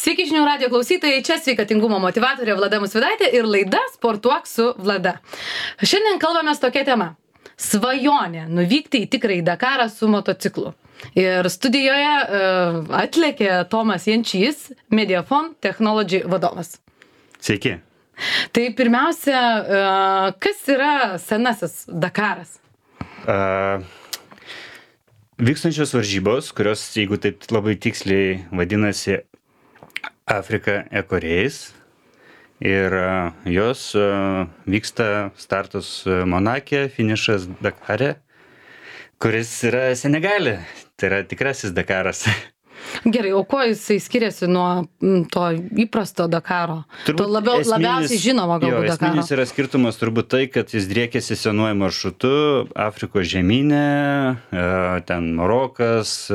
Sveiki žinių radijo klausytojai, čia sveikatingumo motyvatorė Vlada Musvydaitė ir laida Sportuok su Vlada. Šiandien kalbame tokia tema – svajonė nuvykti į tikrąjį Dakarą su motociklu. Ir studijoje atlėkė Tomas Jančys, Mediafon Technology vadovas. Sveiki. Tai pirmiausia, kas yra senasis Dakaras? Vykstančios varžybos, kurios, jeigu taip labai tiksliai vadinasi Africa Eco Race, ir jos vyksta startas Monake, finišas Dakare, kuris yra Senegale, tai yra tikrasis Dakaras. Gerai, o kuo jisai skiriasi nuo to įprasto Dakaro? To labiausiai žinomo galbūt Dakaro. Esminis yra skirtumas turbūt tai, kad jis driekiasi senuoju maršrutu Afrikos žemyne, ten Marokas,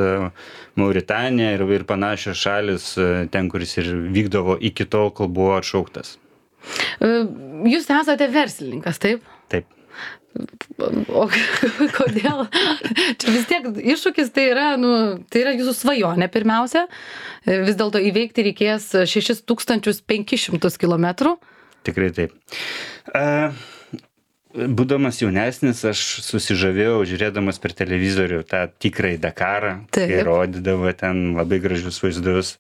Mauritanija ir panašios šalis, ten, kuris ir vykdavo iki tol, kol buvo atšauktas. Jūs esate verslininkas, taip? Taip. O kodėl? Čia vis tiek iššūkis tai yra jūsų svajonė pirmiausia. Vis dėlto įveikti reikės 6500 kilometrų. Tikrai taip. Būdamas jaunesnis, aš susižavėjau žiūrėdamas per televizorių tą tikrąjį Dakarą, kai rodydavo ten labai gražius vaizdus.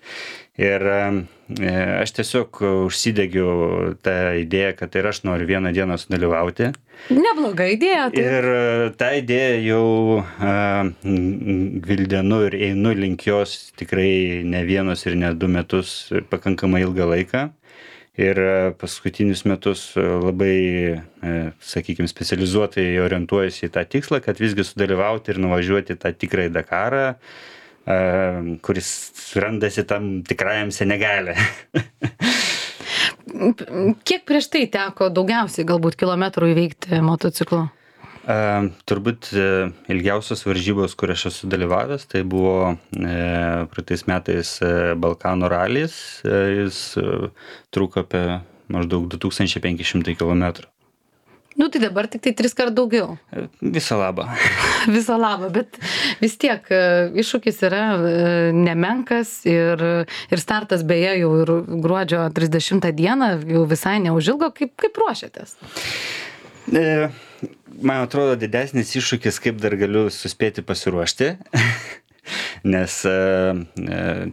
Ir aš tiesiog užsidegiau tą idėją, kad ir aš noriu vieną dieną sudalyvauti. Nebloga idėja. Tai. Ir tą idėją jau gvildenu ir einu link jos tikrai ne vienus ir ne 2 metus, pakankamai ilgą laiką. Ir paskutinius metus labai, sakykime, specializuotai orientuojasi į tą tikslą, kad visgi sudalyvauti ir nuvažiuoti tą tikrąjį Dakarą, kuris randasi tam tikrajam Senegale. Kiek prieš tai teko daugiausiai galbūt kilometrų įveikti motociklu? Turbūt ilgiausios varžybos, kur aš esu dalyvavęs, tai buvo praeitais metais Balkanų ralis. Jis truko apie maždaug 2500 kilometrų. Nu tai dabar tik tai 3 kart daugiau. Visą labą. Visą labą, bet vis tiek iššūkis yra nemenkas ir startas beje jau ir gruodžio 30 dieną, jau visai neužilgo. Kaip ruošiatės? Man atrodo didesnis iššūkis, kaip dar galiu suspėti pasiruošti, nes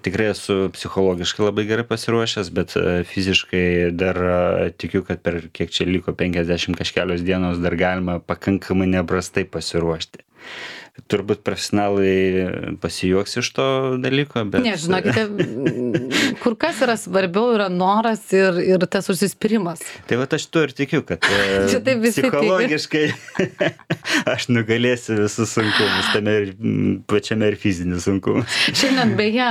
tikrai esu psichologiškai labai gerai pasiruošęs, bet fiziškai dar tikiu, kad per kiek čia liko 50 kažkelios dienos dar galima pakankamai neprastai pasiruošti. Turbūt profesionalai pasijuoks iš to dalyko, bet... Ne, žinokite, kur kas yra svarbiau yra noras ir tas užsispyrimas. Tai va aš tuo ir tikiu, kad psichologiškai aš nugalėsiu visus sunkumus, tame ir pačiame ir fizinis sunkumus. Šiandien beje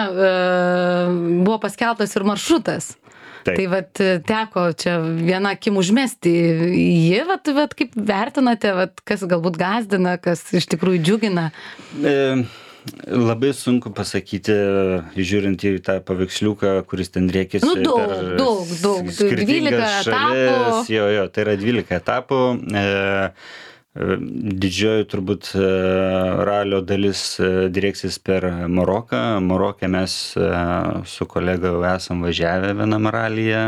buvo paskeltas ir maršrutas. Taip. Tai vat teko čia vieną akim užmesti jį, vat kaip vertinate, kas galbūt gąsdina, kas iš tikrųjų džiugina? Labai sunku pasakyti, žiūrint į tą paveiksliuką, kuris ten driekėsi daug. 12 etapų. Jo, tai yra 12 etapų. Didžioji turbūt ralio dalis drieksis per Maroką. Maroke mes su kolega jau esam važiavę vienam ralyje,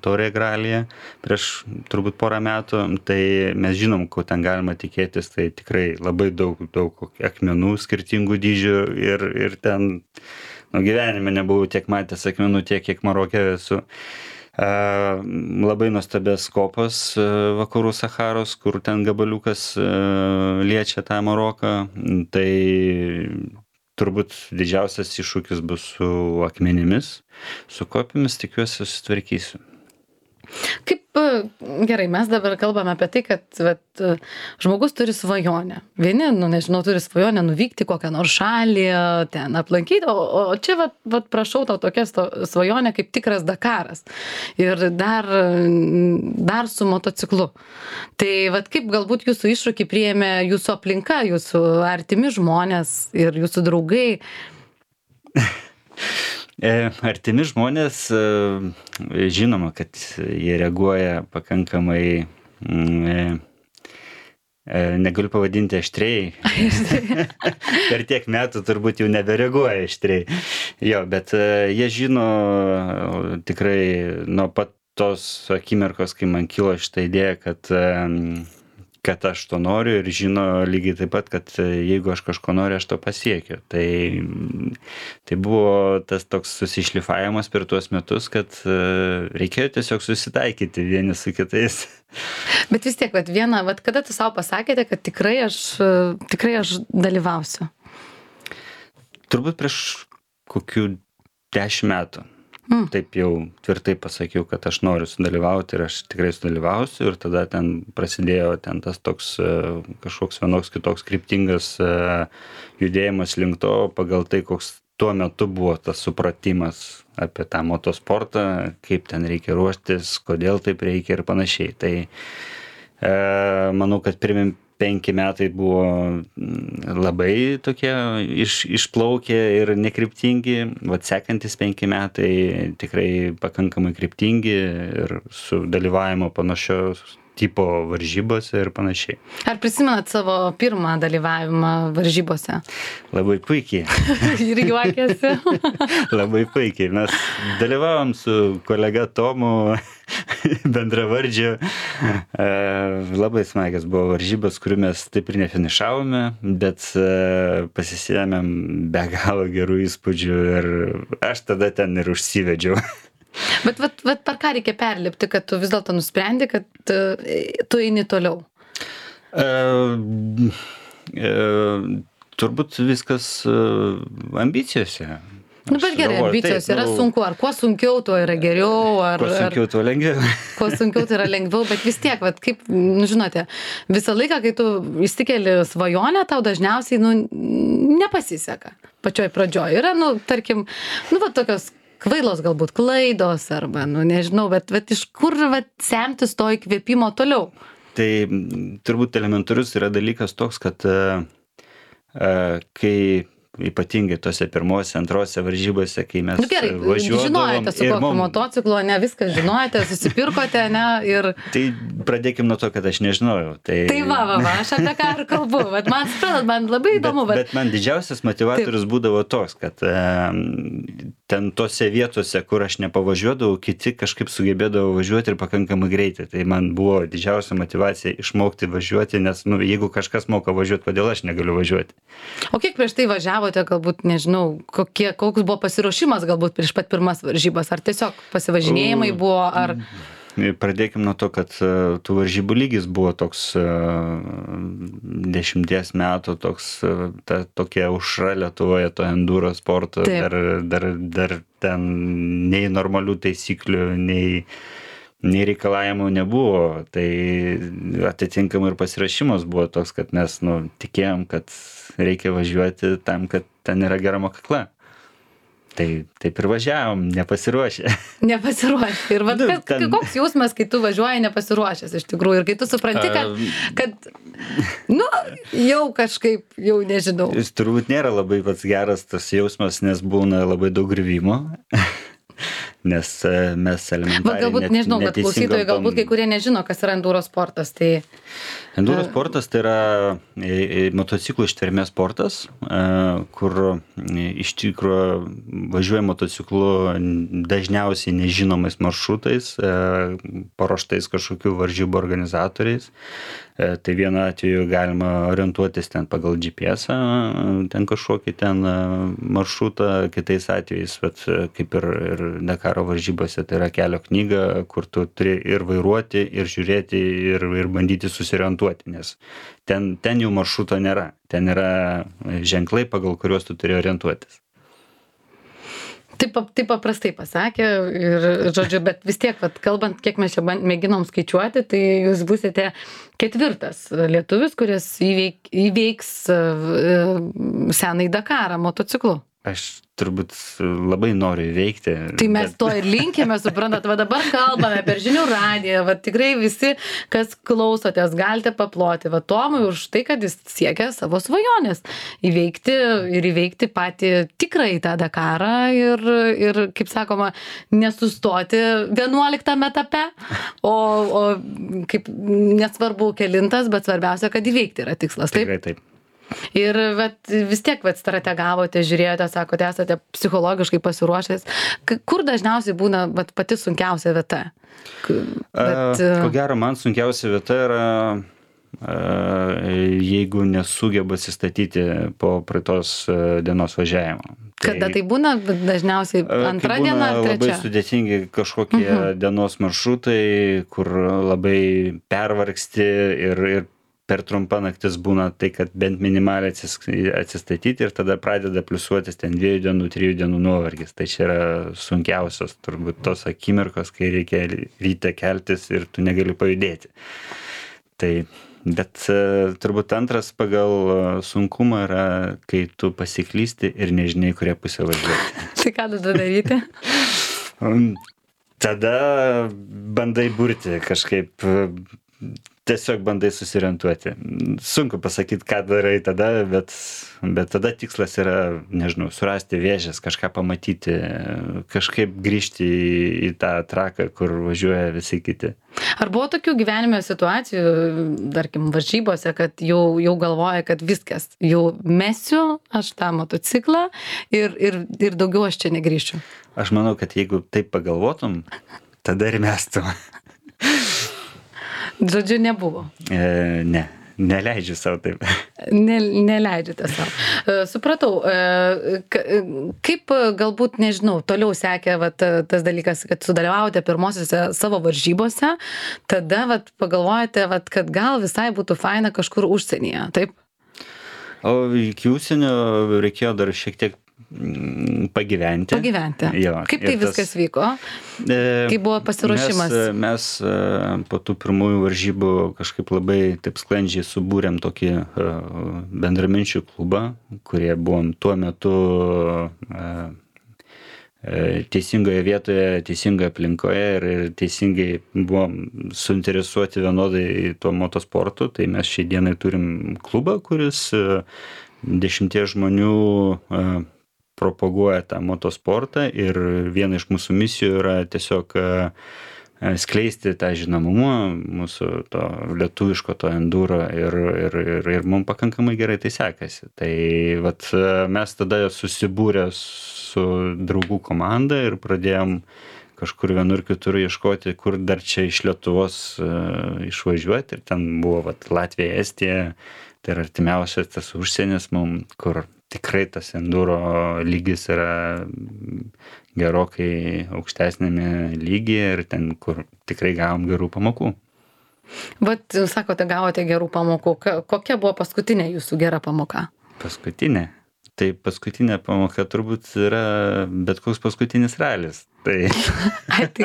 Touareg ralyje, prieš turbūt porą metų. Tai mes žinom, ko ten galima tikėtis. Tai tikrai labai daug akmenų skirtingų dydžių ir ten gyvenime nebuvau tiek matęs akmenų tiek, kiek Maroke esu. Labai nuostabės kopos vakarų Sacharos, kur ten gabaliukas liečia tą Maroką. Tai turbūt didžiausias iššūkis bus su akmenimis, su kopimis, tikiuosi susitvarkysiu. Gerai, mes dabar kalbame apie tai, kad žmogus turi svajonę. Vieni, turi svajonę nuvykti kokią nors šalį, ten aplankyti, o čia prašau tau tokia svajonė kaip tikras Dakaras. Ir dar su motociklu. Tai kaip galbūt jūsų iššūkį priėmė jūsų aplinka, jūsų artimi žmonės ir jūsų draugai? Artimi žmonės, žinoma, kad jie reaguoja pakankamai Negaliu pavadinti aštriai. Per tiek metų turbūt jau nebereaguoja aštriai. Jo, bet jie žino tikrai nuo pat tos akimirkos, kai man kilo šitą idėją, kad aš to noriu ir žino lygiai taip pat, kad jeigu aš kažko noriu, aš to pasiekiu. Tai buvo tas toks susišlifavimas per tuos metus, kad reikėjo tiesiog susitaikyti vieni su kitais. Bet vis tiek, kada tu savo pasakėte, kad tikrai aš dalyvausiu? Turbūt prieš kokių 10 metų. Taip jau tvirtai pasakiau, kad aš noriu sudalyvauti ir aš tikrai sudalyvausiu ir tada ten prasidėjo tas toks kažkoks vienoks kitoks kryptingas judėjimas link to, pagal tai, koks tuo metu buvo tas supratimas apie tą motosportą, kaip ten reikia ruoštis, kodėl taip reikia ir panašiai. Tai manau, kad pirmi 5 metai buvo labai tokie išplaukę ir nekryptingi, sekantis 5 metai tikrai pakankamai kryptingi ir su dalyvavimo panašios tipo varžybose ir panašiai. Ar prisimenat savo pirmą dalyvavimą varžybose? Labai puikiai. Ir juokėsi. Labai puikiai. Mes dalyvavom su kolega Tomu, bendravardžiu. Labai smagios buvo varžybos, kurių mes taip ir nefinišavome, bet pasisėmėm be galo gerų įspūdžių ir aš tada ten ir užsivedžiau. Bet per ką reikia perlipti, kad tu vis dėlto nusprendi, kad tu eini toliau? Turbūt viskas ambicijose. Bet gerai, ambicijos yra sunku, ar kuo sunkiau, tuo yra geriau, ar... Kuo sunkiau, tuo lengviau. Kuo sunkiau, tai yra lengviau, bet vis tiek, kaip, žinote, visą laiką, kai tu įsikeli svajonę, tau dažniausiai, nepasiseka. Pačioj pradžioj yra, tarkim, tokios kvailos galbūt klaidos, arba, nežinau, bet iš kur semtis to įkvėpimo toliau? Tai turbūt elementarus yra dalykas toks, kad kai ypatingai tose pirmose, antrose varžybose, kai mes važiuodavom. Žinojate su kokiu motociklu, ne viską žinojate, susipirkote, ne, ir... Tai pradėkim nuo to, kad aš nežinojau. Tai aš apie ką ir kalbu, bet man labai įdomu. Bet man didžiausias motivatorius būdavo toks, kad ten tose vietose, kur aš nepavažiuodavau, kiti kažkaip sugebėdavo važiuoti ir pakankamai greitai. Tai man buvo didžiausia motyvacija išmokti važiuoti, nes jeigu kažkas moka važiuoti, kodėl aš negaliu važiuoti. O kiek prieš tai važiavote, galbūt, nežinau, koks buvo pasiruošimas galbūt prieš pat pirmas varžybas, ar tiesiog pasivažinėjimai buvo, ar... Pradėkim nuo to, kad tų varžybų lygis buvo toks 10 metų, tokia aušra Lietuvoje, to enduro sporto, dar ten nei normalių taisyklių, nei reikalavimų nebuvo, tai atitinkamai ir pasirašymas buvo toks, kad mes tikėjom, kad reikia važiuoti tam, kad ten yra gera mokykla. Tai taip ir važiavom, nepasiruošę. Nepasiruošę. Ir koks jausmas, kai tu važiuoji nepasiruošęs iš tikrųjų, ir kai tu supranti, kad jau kažkaip, jau nežinau. Jis turbūt nėra labai pats geras tas jausmas, nes būna labai daug griuvimo. Nes mes elementariai galbūt, nežinau, bet klausytojai galbūt kai kurie nežino, kas yra enduro sportas. Enduro sportas tai yra motociklų ištvermės sportas, kur iš tikrųjų važiuoja motociklu dažniausiai nežinomais maršrutais, paruoštais kažkokių varžybų organizatoriais. Tai vienu atveju galima orientuotis ten pagal GPS-ą, ten kažkokį ten maršrutą, kitais atvejais, bet kaip ir Dakaro varžybose, tai yra kelio knyga, kur tu turi ir vairuoti, ir žiūrėti, ir bandyti susiorientuoti, nes ten jau maršruto nėra, ten yra ženklai, pagal kuriuos tu turi orientuotis. Taip paprastai pasakė ir, žodžiu, bet vis tiek, kalbant, kiek mes čia mėginom skaičiuoti, tai jūs būsite 4. lietuvis, kuris įveiks senąjį Dakarą motociklu. Aš turbūt labai noriu įveikti. Tai mes to ir linkime, suprantat, va dabar kalbame per žinių radiją, va tikrai visi, kas klausotės, galite paploti, va Tomui už tai, kad jis siekia savo svajonės įveikti patį tikrąjį tą Dakarą ir, kaip sakoma, nesustoti 11 etape, o kaip nesvarbu kelintas, bet svarbiausia, kad įveikti yra tikslas. Taip? Tikrai taip. Ir vis tiek strategavote, žiūrėjote, sakote, esate psichologiškai pasiruošęs. Kur dažniausiai būna pati sunkiausia vieta? Ko gero, man sunkiausia vieta yra, jeigu nesugeba atsistatyti po praeitos dienos važiavimo. Kada tai būna dažniausiai antra diena ar trečia? Labai sudėtingi kažkokie dienos maršrutai, kur labai pervargsti ir per trumpa naktis būna tai, kad bent minimaliai atsistatyti ir tada pradeda pliusuotis ten 2 dienų, 3 dienų nuovargis. Tai čia yra sunkiausios turbūt tos akimirkos, kai reikia ryte keltis ir tu negali pajudėti. Tai, bet turbūt antras pagal sunkumą yra, kai tu pasiklysti ir nežinai, kurie pusė važiuoti. Tai ką tada daryti? Tada bandai burti kažkaip, tiesiog bandai susiorientuoti. Sunku pasakyti, ką darai tada, bet tada tikslas yra, nežinau, surasti vėžes, kažką pamatyti, kažkaip grįžti į tą traką, kur važiuoja visi kiti. Ar buvo tokių gyvenime situacijų, tarkim, varžybose, kad jau galvoja, kad viskas, jau mesiu aš tą motociklą ir daugiau aš čia negrįšiu? Aš manau, kad jeigu taip pagalvotum, tada ir mestum. Žodžiu, nebuvo. Ne, neleidžiu savo taip. Neleidžiate savo. Supratau, kaip galbūt, nežinau, toliau sekė tas dalykas, kad sudalyvaujate pirmosiose savo varžybose, tada pagalvojate, kad gal visai būtų faina kažkur užsienyje, taip? O iki užsienio reikėjo dar šiek tiek pagyventi. Jo, kaip tai viskas vyko? Kaip buvo pasiruošimas? Mes po tų pirmųjų varžybų kažkaip labai taip sklandžiai subūrėm tokį bendraminčių klubą, kurie buvom tuo metu teisingoje vietoje, teisingoje aplinkoje ir teisingai buvom suinteresuoti vienodai tuo motosportu. Tai mes šiai dienai turim klubą, kuris 10 žmonių propaguoja tą motosportą ir viena iš mūsų misijų yra tiesiog skleisti tą žinomumą mūsų to lietuviško to enduro ir mums pakankamai gerai tai sekasi. Tai mes tada susibūrę su draugų komanda ir pradėjom kažkur vienur kitur ieškoti, kur dar čia iš Lietuvos išvažiuoti ir ten buvo Latvija, Estija, tai yra artimiausias tas užsienis mums, kur tikrai tas enduro lygis yra gerokai aukštesnėme lygyje ir ten, kur tikrai gavom gerų pamokų. Sakote, gavote gerų pamokų. Kokia buvo paskutinė jūsų gera pamoka? Paskutinė? Tai paskutinė pamoka turbūt yra bet koks paskutinis ralis. Tai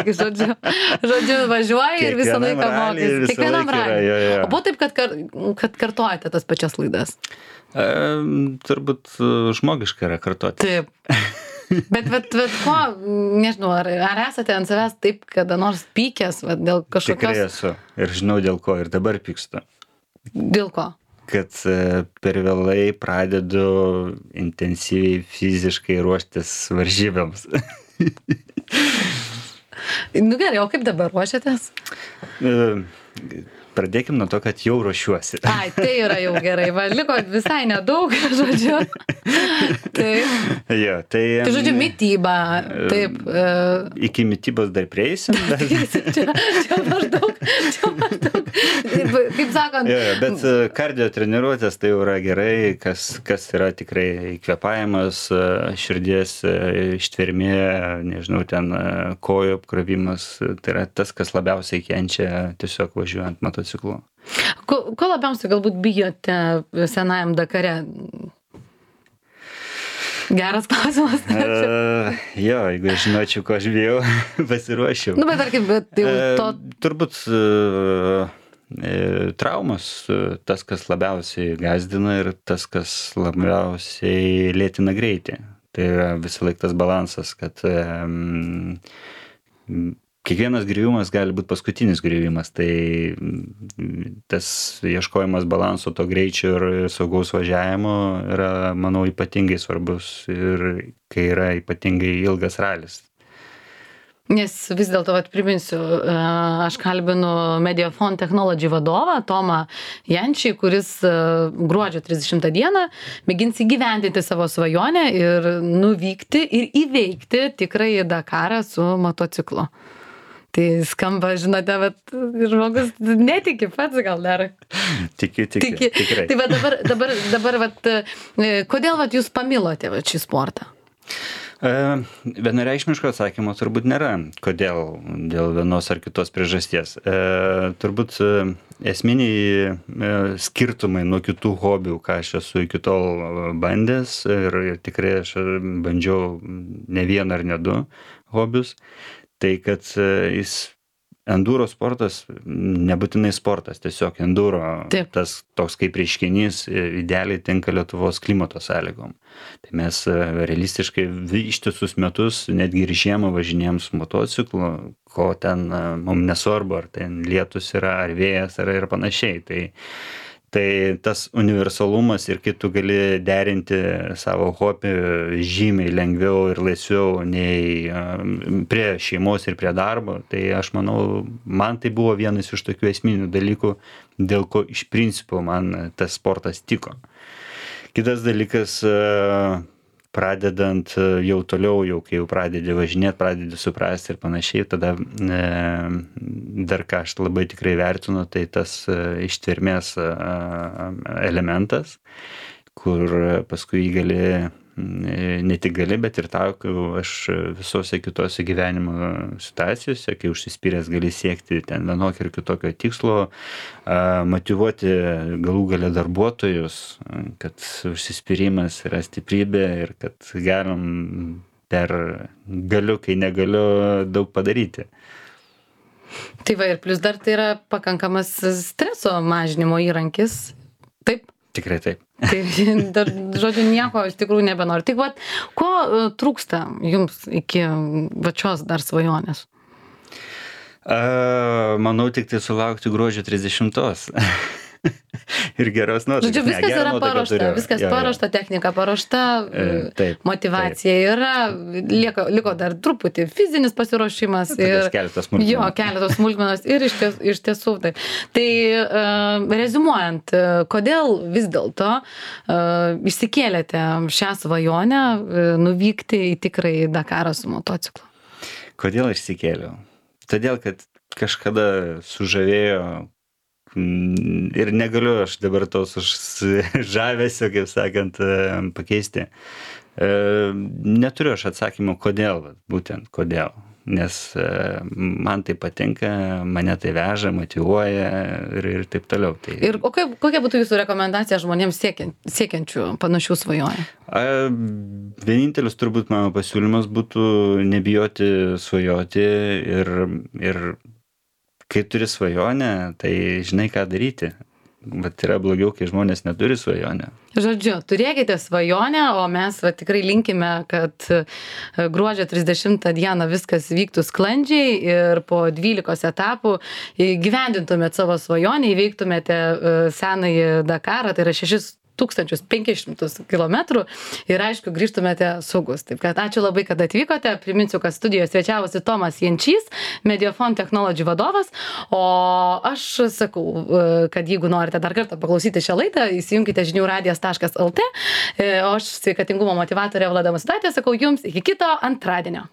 žodžiu, važiuoji ir visą laiką mokys. Kiekvienam raliui. O buvo taip, kad kartojate tas pačias laidas? Turbūt žmogiška yra kartoti. Taip. Bet ko, nežinau, ar esate ant savęs taip, kada nors pykęs dėl kažkokios... Tikrai esu ir žinau dėl ko ir dabar pykstu. Dėl ko? Kad per vėlai pradedu intensyviai fiziškai ruoštis varžybėms. Gerai, o kaip dabar ruošiatės? Pradėkim nuo to, kad jau ruošiuosi. Ai, tai yra jau gerai, liko visai nedaug, žodžiu. Taip. Jo, tai žodžiu, mityba, taip. Iki mitybos dar prieisim. Čia maždaug, kaip sakant. Jo, bet kardio treniruotės tai jau yra gerai, kas yra tikrai kvėpavimas, širdies ištvermė, nežinau, ten kojų apkrovimas, tai yra tas, kas labiausiai kenčia tiesiog važiuojant motociklu. Ko labiausiai galbūt bijote senajam Dakare? Geras klausimas. Jo, jeigu aš žinočiau, ko aš bijau, pasiruošiau. Bet tarkim, turbūt traumos, tas, kas labiausiai gazdina ir tas, kas labiausiai lėtina greitį. Tai yra visą laiką tas balansas, kad kiekvienas griuvimas gali būti paskutinis griuvimas, tai tas ieškojimas balanso, to greičio ir saugaus važiavimo yra, manau, ypatingai svarbus ir kai yra ypatingai ilgas ralis. Nes vis dėlto, priminsiu, aš kalbinu Mediafon Technology vadovą Tomą Jančį, kuris gruodžio 30 dieną mėgins įgyvendinti savo svajonę ir nuvykti ir įveikti tikrąjį Dakarą su motociklu. Tai skamba, žinote, bet žmogus netiki pats gal dar. Tikiu, tikrai. Tai dabar kodėl jūs pamilote šį sportą? Vienareikšmiško atsakymo turbūt nėra, kodėl, dėl vienos ar kitos priežasties. Turbūt esminiai skirtumai nuo kitų hobių, ką aš esu iki tol bandęs ir tikrai aš bandžiau ne vieną ar ne du hobius, tai kad enduro sportas nebūtinai sportas, tiesiog enduro, Taip. tas toks kaip reiškinys idealiai tinka Lietuvos klimato sąlygom. Tai mes realistiškai ištisus metus, netgi ir žiemą važinėjom su motociklu, ko ten mums nesvarbu, ar ten lietus yra, ar vėjas yra ir panašiai. Tai tas universalumas ir kai tu gali derinti savo hobį žymiai lengviau ir laisviau nei prie šeimos ir prie darbo, tai aš manau, man tai buvo vienas iš tokių esminių dalykų, dėl ko iš principo man tas sportas tiko. Kitas dalykas, pradedant jau toliau, kai jau pradedi važinėti, pradedi suprasti ir panašiai, tada dar ką aš labai tikrai vertinu, tai tas ištvermės elementas, kur paskui jį gali, ne tik gali, bet ir tau, aš visose kitose gyvenimo situacijose, kai užsispyręs gali siekti ten vienokio ir kitokio tikslo, motyvuoti galų gale darbuotojus, kad užsispyrimas yra stiprybė ir kad galim galiu, kai negaliu, daug padaryti. Tai ir plus dar tai yra pakankamas streso mažinimo įrankis, taip? Tikrai taip. Tai dar, žodžiu, nieko iš tikrųjų nebenori. Tik ko trūksta jums iki šios dar svajonės? Manau, tik tai sulaukti gruodžio 30. Ir geros nuotaikos. Žodžiu, viskas yra paruošta, viskas paruošta, technika paruošta, motyvacija yra, liko dar truputį fizinis pasiruošimas. Keletas smulkmenos. Jo, keletas smulkmenos ir iš tiesų taip. Tai reziumuojant, kodėl vis dėlto išsikėlėte šią svajonę nuvykti į tikrąjį Dakarą su motociklu? Kodėl išsikėliau? Todėl, kad kažkada sužavėjo ir negaliu aš dabar tos žavesio, kaip sakant, pakeisti. Neturiu aš atsakymų, kodėl, būtent kodėl. Nes man tai patinka, mane tai veža, motyvuoja ir taip toliau. Ir kokia būtų jūsų rekomendacija žmonėms siekiančių panašių svajonių? Vienintelis turbūt mano pasiūlymas būtų nebijoti svajoti ir kai turi svajonę, tai žinai, ką daryti. Bet yra blogiau, kai žmonės neturi svajonę. Žodžiu, turėkite svajonę, o mes tikrai linkime, kad gruodžio 30 dieną viskas vyktų sklandžiai ir po 12 etapų gyvendintumėt savo svajonę, įveiktumėte senąjį Dakarą, tai yra 6500 kilometrų ir aišku, grįžtumėte saugus. Taip kad ačiū labai, kad atvykote. Priminsiu, kad studijoje svečiavosi Tomas Jančys, Mediafon Technology vadovas, o aš sakau, kad jeigu norite dar kartą paklausyti šią laidą, įsijunkite žiniųradijas.lt, o aš sveikatingumo motyvatorė Vlada Musutaitė sakau jums iki kito antradienio.